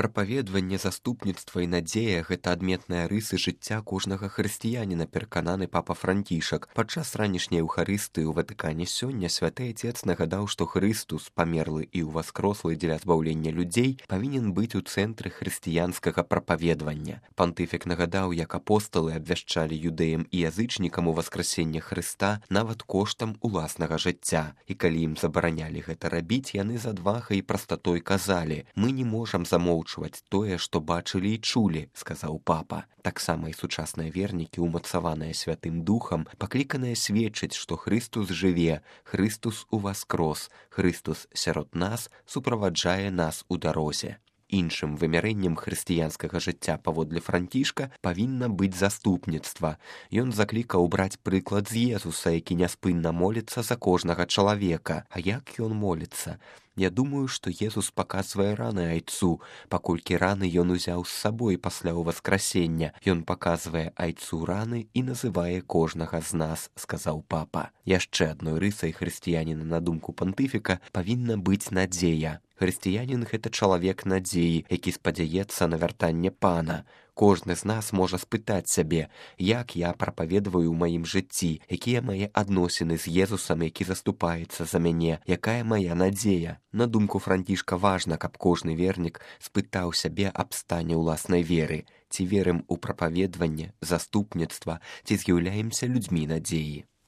Прапаведванне, заступніцтва і надзея – гэта адметныя рысы жыцця кожнага хрысціяніна, перакананы папа Францішак. Падчас ранішняй эўхарыстыі ў Ватыкане сёння святы Отец нагадаў, што Хрыстус, памерлы і ўваскрослы дзеля збаўлення людзей, павінен быць у цэнтры хрысціянскага прапаведвання. Пантыфік нагадаў, як апосталы абвяшчалі юдэям і язычнікам уваскрасенне Хрыста нават коштам уласнага жыцця. І калі ім забаранялі гэта рабіць, яны з адвагай і прастатой казалі: «Мы не можам замоўчваць тое, што бачылі і чулі», – сказаў папа. Таксама і сучасныя вернікі, умацаваныя Святым Духам, пакліканыя сведчыць, што Хрыстус жыве, Хрыстус уваскрос, Хрыстус сярод нас суправаджае нас у дарозе. Іншым вымярэннем хрысціянскага жыцця паводле Францішка павінна быць заступніцтва. Ён заклікаў браць прыклад з Езуса, які няспынна моліцца за кожнага чалавека. А як ён моліцца? Я думаю, што Езус паказвае раны айцу, паколькі раны ён узяў з сабой пасля ўваскрасення. Ён паказвае айцу раны і называе кожнага з нас, сказаў папа. Яшчэ адной рысай хрысціяніна, на думку пантыфіка, павінна быць надзея. Хрысціянін – гэта чалавек надзеі, які спадзяецца на вяртанне Пана. Кожны з нас можа спытаць сябе, як я прапаведваю ў маім жыцці, якія мае адносіны з Езусам, які заступаецца за мяне, якая мая надзея. На думку Францішка, важна, каб кожны вернік спытаў сябе аб стане ўласнай веры. Ці верым у прапаведванне, заступніцтва, ці з'яўляемся людзьмі надзеі.